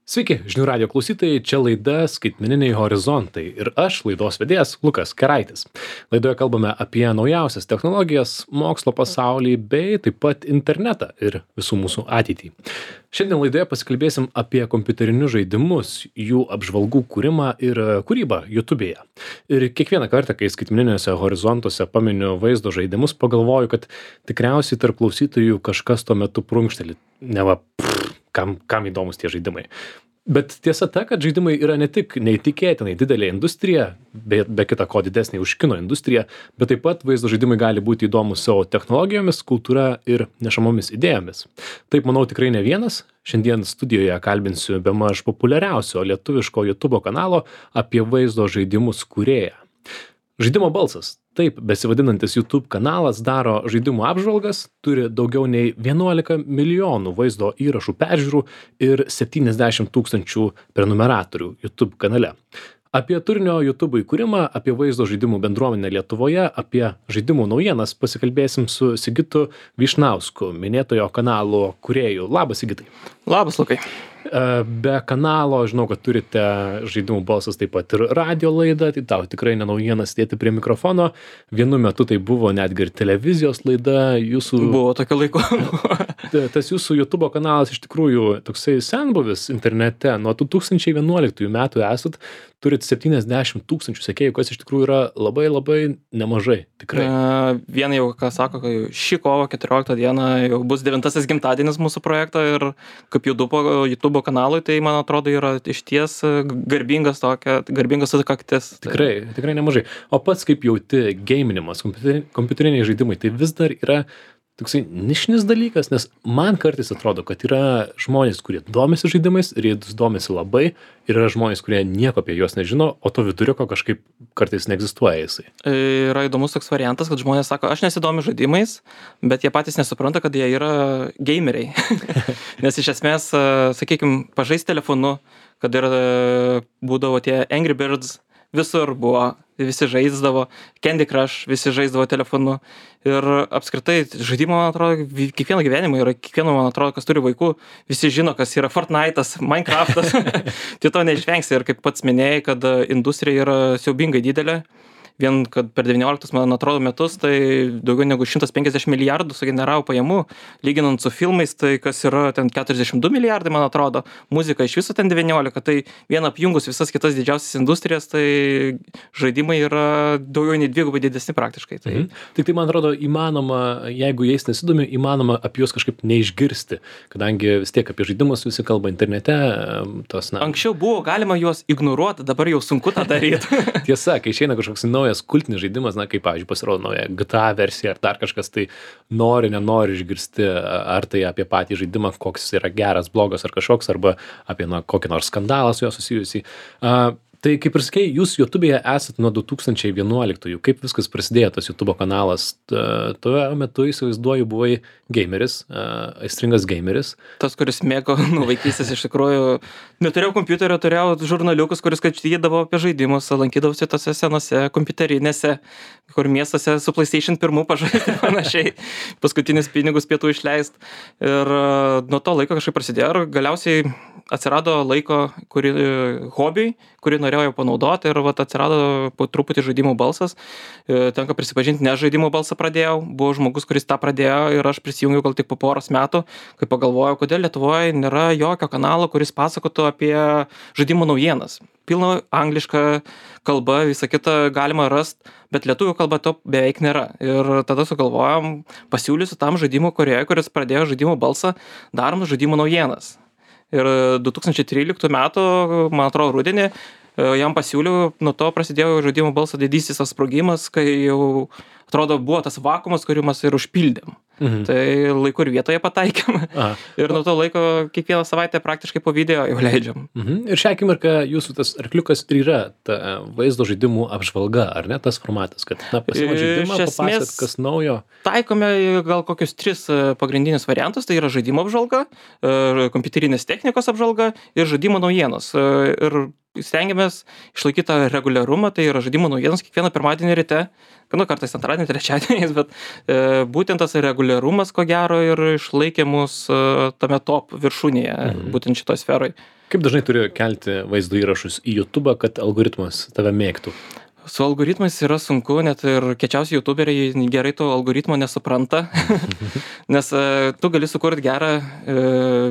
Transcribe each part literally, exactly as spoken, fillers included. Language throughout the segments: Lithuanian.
Sveiki, žinių radio klausytojai, čia laida Skaitmeniniai horizontai ir aš, laidos vedėjas Lukas Keraitis. Laidoje kalbame apie naujausias technologijas, mokslo pasaulį bei taip pat internetą ir visų mūsų ateitį. Šiandien laidoje pasikalbėsim apie kompiuterinius žaidimus, jų apžvalgų kūrimą ir kūrybą YouTube'e. Ir kiekvieną kartą, kai skaitmeniniuose horizontuose paminiu vaizdo žaidimus, pagalvoju, kad tikriausiai tarp klausytojų kažkas tuo metu prunkšteli, neva pff, kam, kam įdomus tie žaidimai. Bet tiesa ta, kad žaidimai yra ne tik neįtikėtinai didelė industrija, be, be kita ko didesnė už kino industriją, bet taip pat vaizdo žaidimai gali būti įdomus savo technologijomis, kultūra ir nešamomis idėjomis. Taip, manau, tikrai ne vienas. Šiandien studijoje kalbinsiu bemaž populiariausio lietuviško YouTube kanalo apie vaizdo žaidimus kūrėją. Žaidimo balsas. Taip, besivadinantis YouTube kanalas daro žaidimų apžvalgas, turi daugiau nei vienuolika milijonų vaizdo įrašų peržiūrų ir septyniasdešimt tūkstančių prenumeratorių YouTube kanale. Apie turinio YouTube įkūrimą, apie vaizdo žaidimų bendruomenę Lietuvoje, apie žaidimų naujienas pasikalbėsim su Sigitu Vyšnausku, minėtojo kanalo kūrėju. Labas, Sigitai. Labas, Lukai. Be kanalo, žinau, kad turite žaidimų balsas taip pat ir radio laidą, tai tau tikrai ne naujieną sėdėti prie mikrofono. Vienu metu tai buvo netgi ir televizijos laida. Jūsų... Buvo tokio laiko. Tas jūsų YouTube kanalas iš tikrųjų toksai senbuvis internete. Nuo du tūkstančiai vienuoliktųjų metų esat, turit septyniasdešimt tūkstančių sekėjų, kas iš tikrųjų yra labai labai nemažai. Tikrai. Uh, Viena jau, ką sako, kad šį kovo keturioliktą dieną jau bus devintasis gimtadienis mūsų projekto ir kaip YouTube, YouTube kanalui, tai man atrodo yra išties garbingas tokia, garbingas sukaktis. Tikrai, tikrai nemažai. O pats kaip jauti gaminimas, kompiuteriniai žaidimai, tai vis dar yra toksai nišinis dalykas, nes man kartais atrodo, kad yra žmonės, kurie domisi žaidimais ir jie domisi labai, ir yra žmonės, kurie nieko apie juos nežino, o to viduriuko kažkaip kartais neegzistuoja jisai. Yra įdomus toks variantas, kad žmonės sako, aš nesidomiu žaidimais, bet jie patys nesupranta, kad jie yra gameriai. Nes iš esmės, sakykime, pažaisti telefonu, kad ir būdavo tie Angry Birds, visur buvo, visi žaisdavo, Candy Crush, visi žaisdavo telefonu ir apskritai žaidimo, man atrodo, kiekvieno gyvenimo yra, kiekvieno, man atrodo, kas turi vaikų, visi žino, kas yra Fortnite'as, Minecraft'as, tai to neišvengsi ir kaip pats minėjai, kad industrija yra siaubingai didelė. Vien, kad per devynioliktus, man atrodo, metus, tai daugiau negu šimtas penkiasdešimt milijardų sugeneravo pajamų, lyginant su filmais, tai kas yra ten keturiasdešimt du milijardai, man atrodo, muzika iš viso ten devyniolika, tai vien apjungus visas kitas didžiausias industrijas, tai žaidimai yra daugiau nei dvigubai didesni praktiškai. Tai... Mhm. Tik tai, man atrodo, įmanoma, jeigu jais nesidomi, įmanoma apie juos kažkaip neišgirsti, kadangi vis tiek apie žaidimus visi kalba internete. Tos, na... Anksčiau buvo galima juos ignoruoti, dabar jau sunku tą daryti. Tiesa, kai išeina kažkoks naujas kultinis žaidimas, na, kaip, pavyzdžiui, pasirodo nauja G T A versija ar dar kažkas, tai nori, nenori išgirsti, ar tai apie patį žaidimą, koks yra geras, blogas ar kažkoks, arba apie, na, kokį nors skandalą su juo susijusį. Uh, Tai kaip ir sakei, jūs YouTube'e esat nuo du tūkstančiai vienuoliktųjų. Kaip viskas prasidėjo, tas YouTube kanalas? Tuo metu, įsivaizduoju, buvai gameris, aistringas gameris. Tas, kuris mėgo nuo vaikystės, iš tikrųjų, neturėjau kompiuterio, turėjau žurnaliukus, kuris skaitydavo apie žaidimus, lankydavosi tose senose kompiuterinėse, kur miestuose su PlayStation pirmu pažaisti panašiai, paskutinis pinigus pietų išleist. Ir nuo to laiko kažkaip prasidėjo ir galiausiai atsirado laiko, kurį hobiui, kurį norėjau panaudoti ir vat atsirado po truputį žaidimų balsas. Tenka prisipažinti, ne žaidimų balsą pradėjau, buvo žmogus, kuris tą pradėjo ir aš prisijungiau gal tik po poros metų, kai pagalvojau, kodėl Lietuvoje nėra jokio kanalo, kuris pasakotų apie žaidimų naujienas. Pilna angliška kalba, visą kitą galima rasti, bet lietuvių kalba to beveik nėra. Ir tada sugalvojom, pasiūlysiu tam žaidimų kūrėjui, kuris pradėjo žaidimų balsą, darom žaidimų naujienas. Ir du tūkstančiai tryliktų metų, man atrodo, rudenį, jam pasiūliau, nuo to prasidėjo žaidimų balso didysis sprogimas, kai jau, atrodo, buvo tas vakuumas, kurį mes ir užpildėm. Mhm. Tai laiku ir vietoje pataikėm. Aha. Ir nuo to laiko kiekvieną savaitę praktiškai po video jau leidžiam. Mhm. Ir šią akimirką jūsų tas arkliukas ir yra ta vaizdo žaidimų apžvalga, ar ne tas formatas, kad na, pasimat žaidimą, papasakot, kas naujo? Taikome gal kokius tris pagrindinius variantus, tai yra žaidimo apžvalga, kompiuterinės technikos apžvalga ir žaidimo naujienos. Ir stengiamės išlaikyti tą reguliarumą, tai yra žaidimų naujienos kiekvieną pirmadienį ryte, nu, kartais antradienį, trečiadieniais, bet e, būtent tas reguliarumas, ko gero, ir išlaikė mus e, tame top viršūnėje, mhm. būtent šitoj sferoj. Kaip dažnai turi kelti vaizdo įrašus į YouTube, kad algoritmas tave mėgtų? Su algoritmais yra sunku, net ir kečiausi youtuberiai gerai to algoritmo nesupranta, nes e, tu gali sukurti gerą e,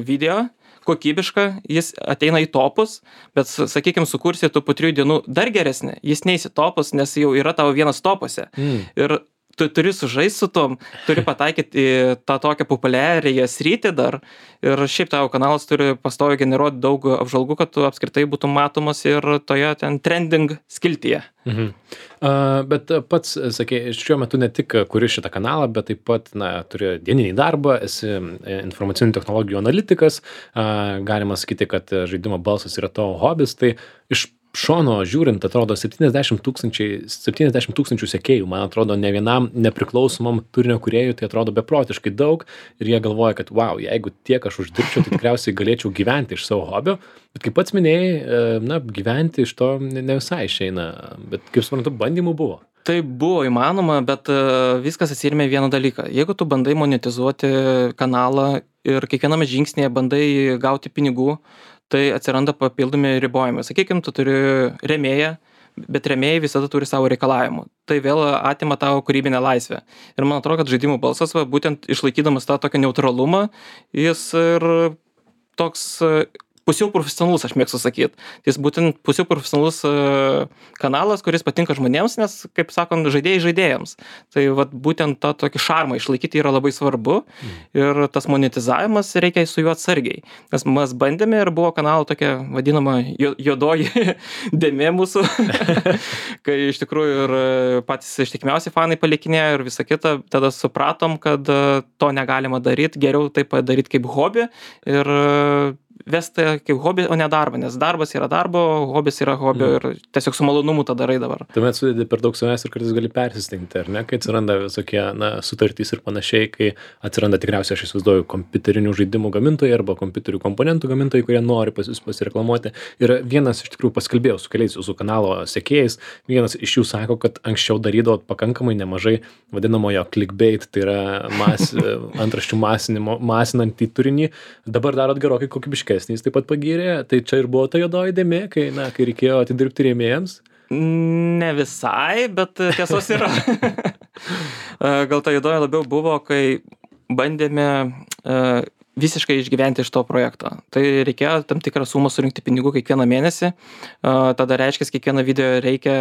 video, kokybišką, jis ateina į topus, bet, sakykime, sukursi tu po trijų dienų dar geresnį, jis neįsi topus, nes jau yra tavo vienas topuose. Mm. Ir tu turi sužaisti su tom, turi pataikyti į tą tokią populiariąją sritį dar. Ir šiaip tavo kanalas turi pastoviai generuoti daug apžvalgų, kad tu apskritai būtum matomas ir toje ten trending skiltyje. Mhm. Uh, bet pats, sakė, šiuo metu ne tik kuri šitą kanalą, bet taip pat, na, turi dieninį darbą, esi informacinių technologijų analitikas, uh, galima sakyti, kad žaidimo balsas yra tavo hobis, tai iš šono žiūrint, atrodo, septyniasdešimt tūkstančių sekėjų, man atrodo, ne vienam nepriklausomam turinio kūrėjui, tai atrodo beprotiškai daug ir jie galvoja, kad wow, jeigu tiek aš uždirbčiau, tai tikriausiai galėčiau gyventi iš savo hobio, bet kaip pats minėjai, na, gyventi iš to ne visai išeina, bet kaip suprantu, bandymų buvo. Tai buvo įmanoma, bet viskas atsirėmė vieną dalyką. Jeigu tu bandai monetizuoti kanalą ir kiekviename žingsnėje bandai gauti pinigų, tai atsiranda papildomi ribojimai. Sakykime, tu turi rėmėją, bet rėmėjai visada turi savo reikalavimų. Tai vėl atima tavo kūrybinę laisvę. Ir man atrodo, kad žaidimų balsas, va, būtent išlaikydamas tą tokį neutralumą, jis ir toks pusiau profesionalus, aš mėgstu sakyti. Jis būtent pusiau profesionalus kanalas, kuris patinka žmonėms, nes, kaip sakant, žaidėjai žaidėjams. Tai vat, būtent tą tokį šarmą išlaikyti yra labai svarbu mm. ir tas monetizavimas reikia su juo atsargiai. Nes mes bandėme ir buvo kanalo tokia vadinama juodoji dėmė mūsų, kai iš tikrųjų ir patys ištikimiausi fanai palikinėjo ir visa kita, tada supratom, kad to negalima daryti, geriau tai padaryti kaip hobį ir vesti kaip hobį, o ne darbą, nes darbas yra darbo, hobis yra hobio mm. ir tiesiog su malonumu tą darai dabar. Tuomet sudėdi per daug savęs ir kartais gali persistingti, ar ne, kai atsiranda visokie, na, sutartys ir panašiai, kai atsiranda tikriausiai, aš įsivaizduoju, kompiuterinių žaidimų gamintojai arba kompiuterių komponentų gamintojai, kurie nori pas jūs pasireklamuoti. Ir vienas iš tikrųjų paskalbėjau su keliais jūsų kanalo sekėjais, vienas iš jų sako, kad anksčiau darydavo pakankamai nemažai vadinamojo clickbait, tai yra mas, antraščių masinimo, masinantį turinį, dabar darot gerokai kokybiškai. Jis taip pat pagyrė, tai čia ir buvo ta juodoji dėmė, kai, na, kai reikėjo atidirbti rėmėjams? Ne visai, bet tiesos yra. Gal ta juodoji labiau buvo, kai bandėme uh, visiškai išgyventi iš to projekto. Tai reikėjo tam tikrą sumą surinkti pinigų kiekvieną mėnesį, uh, tada reiškia, kiekvieną video reikia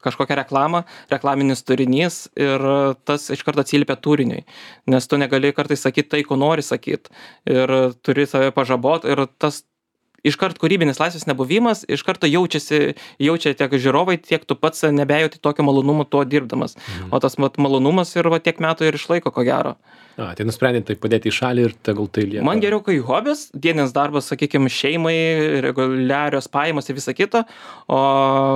kažkokią reklamą, reklaminis turinys ir tas iš karto atsiliepia turiniui, nes tu negali kartais sakyti tai, ko nori sakyti ir turi save pažabot ir tas iš karto kūrybinis laisvės nebuvimas, iš karto jaučiasi, jaučia tiek žiūrovai, tiek tu pats nebejauti tokio malonumo tuo dirbdamas. Mhm. O tas mat, malonumas ir va, tiek metų ir išlaiko, ko gero. A, tai nusprendė tai padėti į šalį ir tegul tai lieka. Man geriau, kai hobis, dieninis darbas, sakykime, šeimai, reguliarios pajamos ir visa kita, o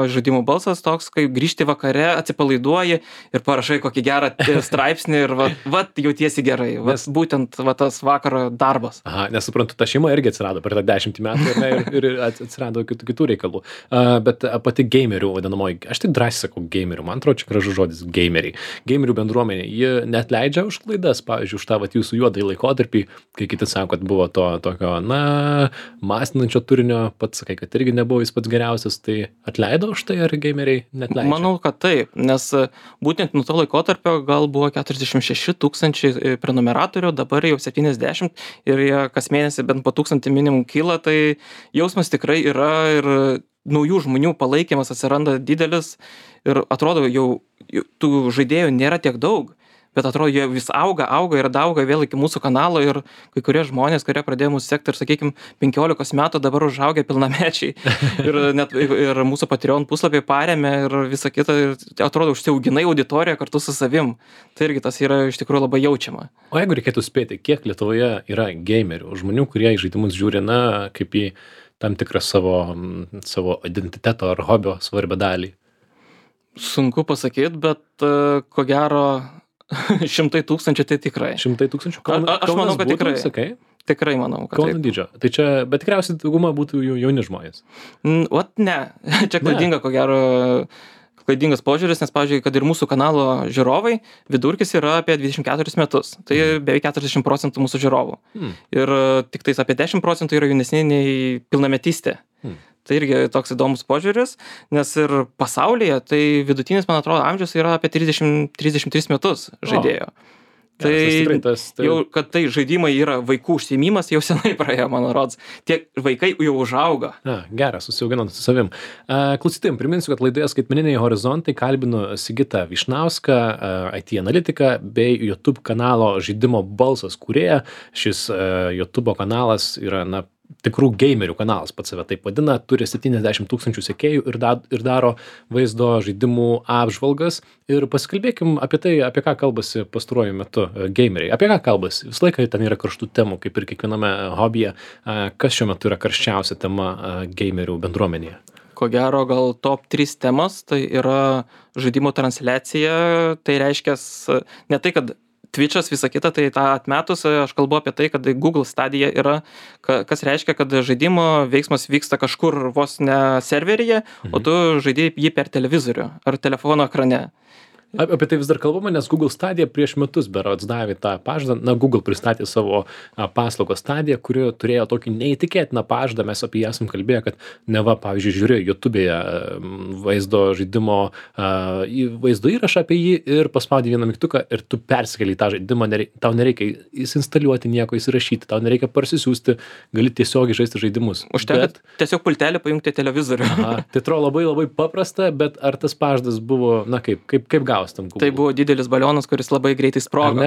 žaidimų balsas toks, kai grįžti vakare, atsipalaiduoji ir parašai kokį gerą straipsnį ir va, va jautiesi gerai. Va, nes, būtent va, tas vakaro darbas. Aha, nesuprantu, ta šeima irgi atsirado per tą dešimtį metų ir, ne, ir, ir atsirado kitų, kitų reikalų. Uh, bet pati gamerių vadinamoji, aš tik drąsiai sakau gamerių, man atrodo, čia gražus žodis gameriai. Gamerių bendruomenė, ji net leidžia už klaidas, pavyzdžiui, už tą vat, jūsų juodąjį laikotarpį, kai kiti sako, kad buvo to tokio, na, masinančio turinio, pats sakai, kad irgi nebuvo jis pats geriausias, tai atleido už tai, ar gameriai net leidžia? Manau, kad taip, nes būtent nuo to laikotarpio gal buvo keturiasdešimt šeši tūkstančiai prenumeratorių, dabar jau septyniasdešimt ir jie kas mėnesį bent po tūkstantį minimum kyla, tai jausmas tikrai yra ir naujų žmonių palaikymas atsiranda didelis ir atrodo jau tų žaidėjų nėra tiek daug. Bet atrodo, jie vis auga, auga ir auga vėl iki mūsų kanalo ir kai kurie žmonės, kurie pradėjo mūsų sekti ir, sakykime, penkiolikos metų dabar užaugę pilnamečiai ir net ir mūsų Patreon puslapį paremė ir visa kita, ir atrodo, užsiauginai auditoriją kartu su savim. Tai irgi tas yra iš tikrųjų labai jaučiama. O jeigu reikėtų spėti, kiek Lietuvoje yra gamerių, žmonių, kurie į žaidimus žiūri, na, kaip į tam tikrą savo, savo identiteto ar hobio svarbę dalį? Sunku pasakyti, bet uh, ko gero šimtai tūkstančių tai tikrai. Šimtai tūkstančių? Kauna, A, aš manau, kad būtų, tikrai. Sakai? Tikrai manau, kad Kauno taip. dydžio. Tai čia, bet tikriausiai dauguma būtų jau jauni žmonės. Mm, Ot ne, čia klaidinga, ko gero, klaidingas požiūris, nes, pavyzdžiui, kad ir mūsų kanalo žiūrovai, vidurkis yra apie dvidešimt keturis metus. Tai beveik keturiasdešimt procentų mūsų žiūrovų. Hmm. Ir e, tik tais apie dešimt procentų yra jaunesni nei pilnametystė. Hmm. Tai irgi toks įdomus požiūris, nes ir pasaulyje, tai vidutinis, man atrodo, amžius yra apie trisdešimt trisdešimt tris metus žaidėjo. Tai, Geras, tas tikrai tas, tai... jau, kad tai žaidimai yra vaikų užsiėmimas, jau senai praėjo, man rodos. Tie vaikai jau užauga. Na, geras, susiauginant su savim. Uh, klausytojim, priminsiu, kad laidoje Skaitmeniniai horizontai kalbinu Sigitą Vyšnauską, uh, I T analitiką bei YouTube kanalo Žaidimo balsas kūrėją. Šis uh, YouTube kanalas yra, na, tikrų gamerių kanalas, pats save taip vadina, turi septyniasdešimt tūkstančių sekėjų ir, da, ir daro vaizdo žaidimų apžvalgas. Ir pasikalbėkim apie tai, apie ką kalbasi pastaruoju metu uh, gameriai. Apie ką kalbasi? Visą laiką ten yra karštų temų, kaip ir kiekviename hobyje. Uh, kas šiuo metu yra karščiausia tema uh, gamerių bendruomenėje? Ko gero, gal top trys temos, tai yra žaidimų transliacija, tai reiškia ne tai, kad Twitch'as, visa kita, tai tą atmetus, aš kalbu apie tai, kad Google Stadia yra, kas reiškia, kad žaidimo veiksmas vyksta kažkur vos ne serveryje, mhm. o tu žaidži jį per televizorių ar telefono ekrane. Apie tai vis dar kalbama, nes Google Stadia prieš metus berods davė tą pažadą. Na, Google pristatė savo a, paslaugos Stadia, kuri turėjo tokį neįtikėtiną pažadą. Mes apie jį esam kalbėję, kad neva, pavyzdžiui, žiūri YouTube'e vaizdo žaidimo, a, vaizdo įrašą apie jį ir paspaudi vieną mygtuką ir tu persikeli tą žaidimą. Nerei, tau nereikia įsinstaliuoti nieko, įsirašyti, tau nereikia parsisiųsti, gali tiesiogiai žaisti žaidimus. Užtenka bet... tiesiog pultelį pajungti televizorių. Aha, tai atrodo labai labai paprasta, bet ar tas pažadas buvo, na kaip, kaip, kaip gausi? Tai buvo didelis balionas, kuris labai greitai sprogo.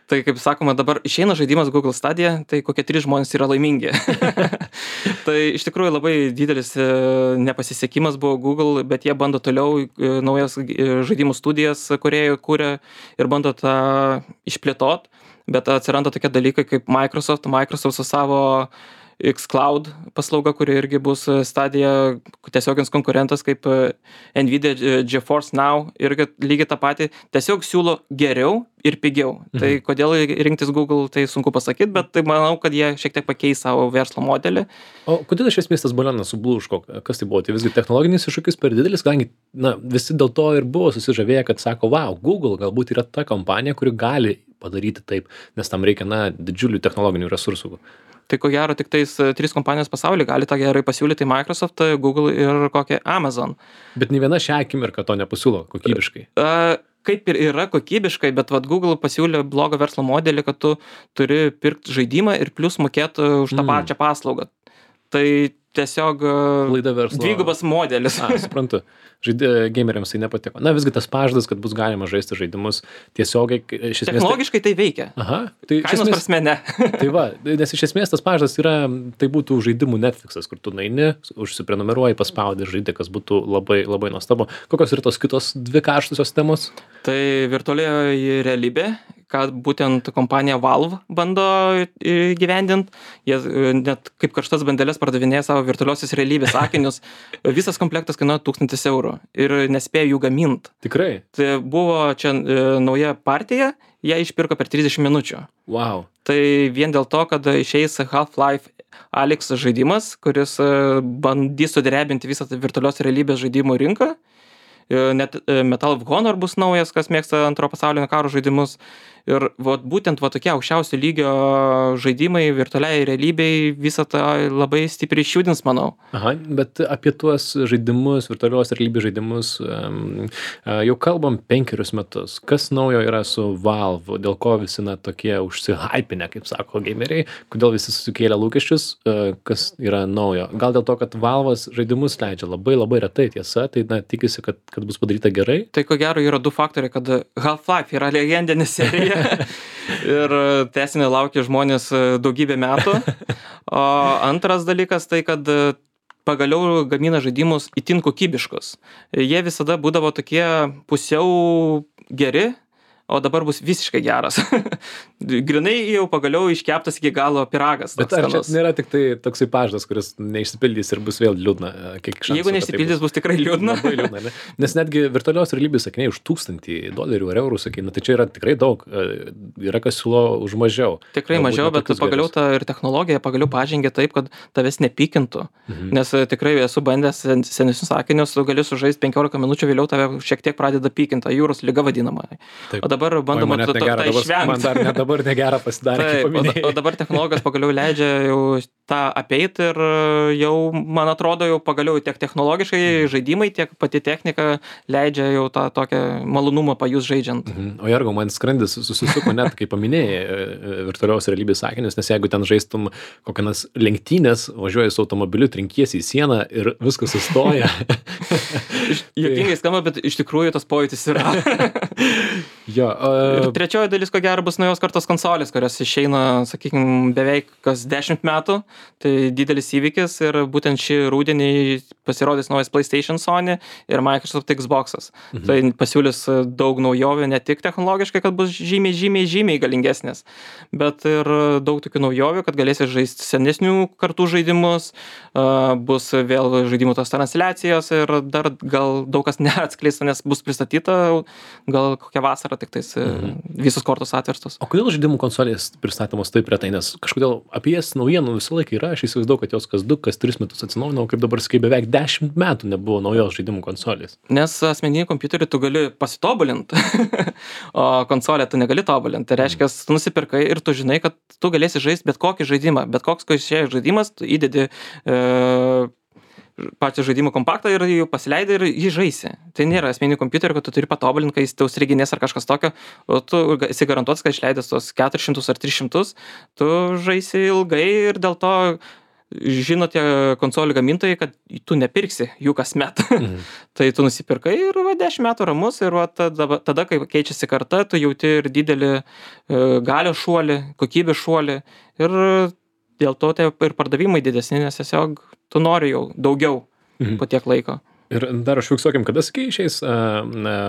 Tai kaip sakoma, dabar išeina žaidimas Google Stadia, tai kokie trys žmonės yra laimingi. Tai iš tikrųjų labai didelis nepasisekimas buvo Google, bet jie bando toliau naujas žaidimų studijas, kurie kūrė ir bando tą išplėtot, bet atsiranda tokie dalykai kaip Microsoft, Microsoft su savo xCloud paslauga, kuri irgi bus Stadia tiesiogins konkurentas kaip Nvidia GeForce Now, irgi lygiai tą patį, tiesiog siūlo geriau ir pigiau. Mhm. Tai kodėl rinktis Google, tai sunku pasakyti, bet tai manau, kad jie šiek tiek pakeis savo verslo modelį. O kodėl iš esmės tas balionas sublūško? Kas tai buvo? Tai visgi technologinis iššūkis per didelis, kadangi, na, visi dėl to ir buvo susižavėję, kad sako, wow, Google galbūt yra ta kompanija, kuri gali padaryti taip, nes tam reikia, na, didžiulių technologinių resursų. Tai ko gero tik tais trys kompanijos pasaulyje gali tą gerai pasiūlyti, Microsoft, Google ir kokia Amazon. Bet nei viena šią akimirką to nepasiūlo kokybiškai. Uh, kaip ir yra kokybiškai, bet vat Google pasiūlė blogą verslo modelį, kad tu turi pirkti žaidimą ir plus mokėti už tą mm. pačią paslaugą. Tai tiesiog verslo... dvigubas modelis. A, suprantu. Žaidė, gameriams tai nepatiko. Na, visgi tas pažadas, kad bus galima žaisti žaidimus tiesiogiai. Iš esmės, technologiškai tai veikia. Aha. Tai kainos esmės... prasme ne. Tai va, nes iš esmės tas pažadas yra, tai būtų žaidimų Netflixas, kur tu naini, užsiprenumeruoji, paspaudi žaidė, kas būtų labai, labai nuostabu. Kokios yra tos kitos dvi karštusios temos? Tai virtualioji realybė, kad būtent kompanija Valve bando įgyvendint. Jie net kaip karštas bandeles pardavinėja savo virtualiosios realybės akinius. Visas komplektas kainuoja tūkstantis eurų ir nespėjo jų gamint. Tikrai? Tai buvo čia e, nauja partija, ją išpirko per trisdešimt minučių. Wow. Tai vien dėl to, kad išeis Half-Life Alyx žaidimas, kuris bandys sudrebinti visą virtualios realybės žaidimų rinką. Net Medal of Honor bus naujas, kas mėgsta antro pasaulinio karo žaidimus. Ir vat, būtent va, tokie aukščiausio lygio žaidimai virtualiai realybei visą tą labai stipriai išjudins, manau. Aha, bet apie tuos žaidimus, virtualios realybės žaidimus um, jau kalbam penkerius metus. Kas naujo yra su Valve? Dėl ko visi na, tokie užsihypinę, kaip sako gameriai? Kodėl visi susikėlė lūkesčius? Kas yra naujo? Gal dėl to, kad Valve'as žaidimus leidžia labai labai retai, tiesa, tai na, tikisi, kad, kad bus padaryta gerai? Tai ko gero yra du faktoriai, kad Half-Life yra legendinė serija. Ir tęsinį laukia žmonės daugybę metų. O antras dalykas tai, kad pagaliau gamina žaidimus itin kokybiškus. Jie visada būdavo tokie pusiau geri, o dabar bus visiškai geras. Grinai jau pagaliau iškeptas iki galo pyragas. Bet ar čia nėra tik tai toksai pažadas, kuris neišsipildys ir bus vėl liūdna? Jeigu neišsipildys, bus. bus tikrai liūdna. Labai liūdna, ne? Nes netgi virtualios realybės sakiniai už tūkstantį dolerių ar eurų, sakai, na tai čia yra tikrai daug, yra kas siūlo už mažiau. Tikrai Galbūt mažiau, bet pagaliau ta ir technologija pagaliau pažengė taip, kad tavęs nepykintų. Mhm. Nes tikrai esu bandęs senesnius sakinius, tu gali sužaisti penkiolika minučių, vėliau tave šiek tiek pradeda pykinti, jūros lyga vadinama. Taip. O dabar bandoma tą išvengti. Man dar net dabar negera pasidarė. Taip, o, o dabar technologijos pagaliau leidžia jau tą apeiti ir jau, man atrodo, jau pagaliau tiek technologiškai žaidimai, tiek pati technika leidžia jau tą tokią malonumą pajus žaidžiant. Mhm. O Jargo, man skrandis susisuko net, kai paminėjai virtualios realybės sakinius, nes jeigu ten žaistum kokias lenktynės, važiuoji su automobiliu, trinkiesi į sieną ir viskas sustoja. Juokingai skamba, bet iš tikrųjų tas pojūtis yra. Jo, uh... ir trečioji dalis, ko gero, bus naujos kartos konsolės, kurios išeina, sakykime, beveik kas dešimt metų. Tai didelis įvykis ir būtent šį rudenį pasirodys naujas PlayStation, Sony ir Microsoft Xbox'as. Mhm. Tai pasiūlys daug naujovių, ne tik technologiškai, kad bus žymiai, žymiai, žymiai galingesnės, bet ir daug tokių naujovių, kad galėsi žaisti senesnių kartų žaidimus, uh, bus vėl žaidimų tos transliacijos ir dar gal daug kas neatskleista, nes bus pristatyta gal kokią vasarą tik tais mhm. visos kortos atverstos. O kodėl žaidimų konsolės pristatomos taip retai? Nes kažkodėl apie jas naujienų visą laiką yra, aš įsivaizduoju, kad jos kas du, kas tris metus atsinaujino, kaip dabar sakai, beveik dešimt metų nebuvo naujos žaidimų konsolės. Nes asmeninį kompiuterį tu gali pasitobulinti, o konsolę tu negali tobulinti. Tai reiškia, tu nusipirkai ir tu žinai, kad tu galėsi žaisti bet kokį žaidimą, bet koks išėjęs žaidimas, tu įdedi e, pačią žaidimų kompaktą ir jį pasileidai ir jį žaisi. Tai nėra asmeninį kompiuterį, kad tu turi patobulinti, kai jis tau striginės ar kažkas tokio, o tu esi garantuotas, kad išleidęs tos keturis šimtus ar tris šimtus, tu žaisi ilgai ir dėl to žino tie konsolių gamintojai, kad tu nepirksi jų kasmet. Mhm. Tai tu nusipirkai ir va, dešimt metų ramus ir va, tada, tada, kai keičiasi karta, tu jauti ir didelį e, galios šuolį, kokybės šuolį ir dėl to tai ir pardavimai didesni, nes tiesiog tu nori jau daugiau mhm. po tiek laiko. Ir dar aš fiksuokim, kada sakai išeis uh,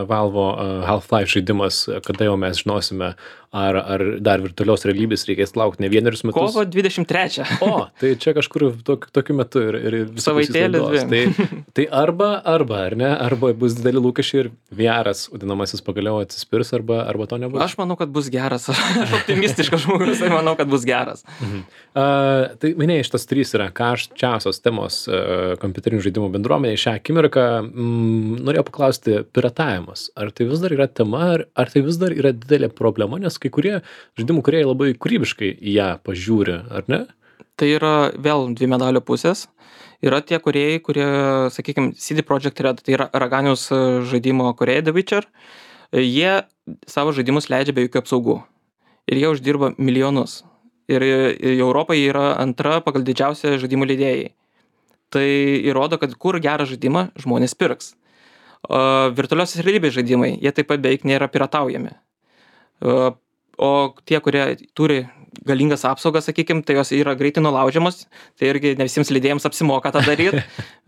Valvo uh, Half-Life žaidimas, kada jau mes žinosime, ar, ar dar virtualios realybės reikės laukti ne vienerius metus. Kovo dvidešimt trečią. O, tai čia kažkur tok, tokiu metu ir, ir savaitėlis dvi. Tai, tai arba, arba, ar ne, arba bus dideli lūkesčiai ir V R-as, vadinamasis, pagaliau atsispirs, arba, arba to nebus. Aš manau, kad bus geras. Aš optimistiškas žmogus, tai manau, kad bus geras. Mhm. Uh, tai minėjai, šitos trys yra karščiausios temos uh, kompiuterinių žaidimų bendruomenėje šią akimirką. Mm, norėjau paklausti, piratavimas. Ar tai vis dar yra tema, ar, ar tai vis dar yra didelė problema, nes kai kurie žaidimų kūrėjai labai kūrybiškai į ją pažiūri, ar ne? Tai yra vėl dvi medalio pusės. Yra tie kūrėjai, kurie, sakykime, C D Projekt Red, tai yra Raganiaus žaidimo kūrėjai The Witcher, jie savo žaidimus leidžia be jokių apsaugų. Ir jie uždirba milijonus. Ir Europoje yra antra pagal didžiausią žaidimų leidėjai. Tai įrodo, kad kur gerą žaidimą žmonės pirks. O virtualiosios realybės žaidimai, jie taip pat beveik nėra pirataujami. O, o tie, kurie turi galingas apsaugas, sakykime, tai jos yra greitai nulaužiamos, tai irgi ne visiems leidėjams apsimoka tą daryti.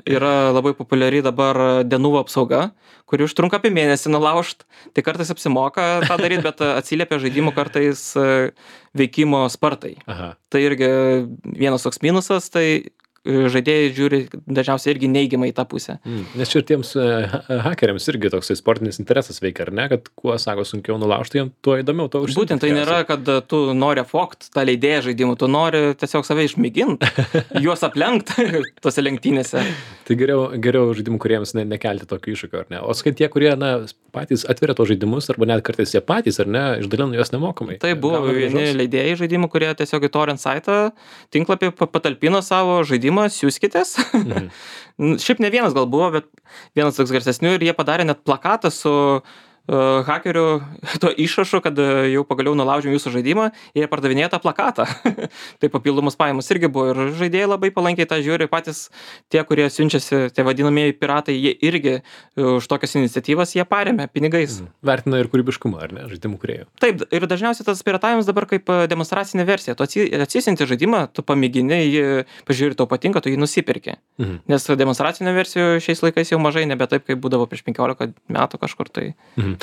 Yra labai populiari dabar Denuvo apsauga, kuri užtrunka apie mėnesį nulaužt, tai kartais apsimoka tą daryti, bet atsiliepia žaidimų kartais veikimo spartai. Aha. Tai irgi vienas toks minusas, tai žaidėjai žiūri dažniausiai irgi neigiamai į tą pusę. Mm. Nes čia ir tiems uh, hakeriams irgi toksai sportinis interesas veikia, ar ne? Kad kuo, sako, sunkiau nulaužti, jiem tuo įdomiau to užsiimti. Būtent tai nėra, kad tu nori fokt tą leidėją žaidimų, tu nori tiesiog save išmėginti, juos aplenkti tose lenktynėse. Tai geriau, geriau žaidimų kuriems ne, nekelti tokio iššūkio, ar ne? O skai tie, kurie na, patys atveria tos žaidimus, arba net kartais jie patys, ar ne, išdalina juos nemokamai. Tai buvo vieni leidėjai žaidimų, kurie tiesiog į torrent saitą tinklapį patalpino savo žaidimą, siūskitės. Mhm. Šiaip ne vienas gal buvo, bet vienas toks garsesnių ir jie padarė net plakatą su uh, hakerių to išrašu, kad uh, jau pagaliau nulaužėm jūsų žaidimą ir jie pardavinėjo tą plakatą. Tai papildomus pajamas irgi buvo ir žaidėjai labai palankiai tą žiūri, patys tie, kurie siunčiasi, tie vadinamieji piratai, jie irgi uh, už tokias iniciatyvas jie paremia pinigais. Mhm. Vertina ir kūrybiškumą, ar ne, žaidimų kūrėjų. Taip, ir dažniausiai tas piratavimas dabar kaip demonstracinė versija. Tu atsisinti žaidimą, tu pamėgini, jį pažiūri, tau patinka, tu jį nusipirki. Mhm. Nes demonstracinė versija šiais laikais jau mažai, nebe taip, kaip būdavo prieš penkiolika metų kažkur tai. Mhm.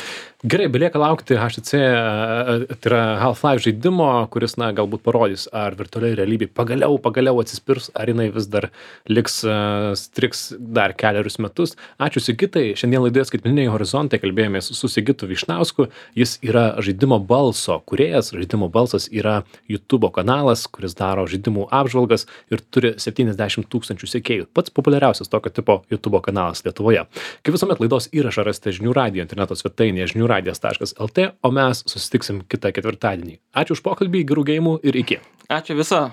Gerai, belieka laukti H T C, tai yra Half-Life žaidimo, kuris, na, galbūt parodys, ar virtualiai realybė pagaliau, pagaliau atsispirs, ar jinai vis dar liks, uh, striks dar keliarius metus. Ačiū Sigitai, šiandien laidoje Skaitmeniniai horizontai kalbėjomės su Sigitu Vyšnausku, jis yra žaidimo balso kūrėjas, žaidimo balsas yra YouTube kanalas, kuris daro žaidimų apžvalgas ir turi septyniasdešimt tūkstančių sekėjų. Pats populiariausias tokio tipo YouTube kanalas Lietuvoje. Kaip visuomet laidos įrašą rasite žinių radijo interneto svetainėje žinių radijas taškas el tė, o mes susitiksim kitą ketvirtadienį. Ačiū už pokalbį, gerų geimų ir iki. Ačiū viso.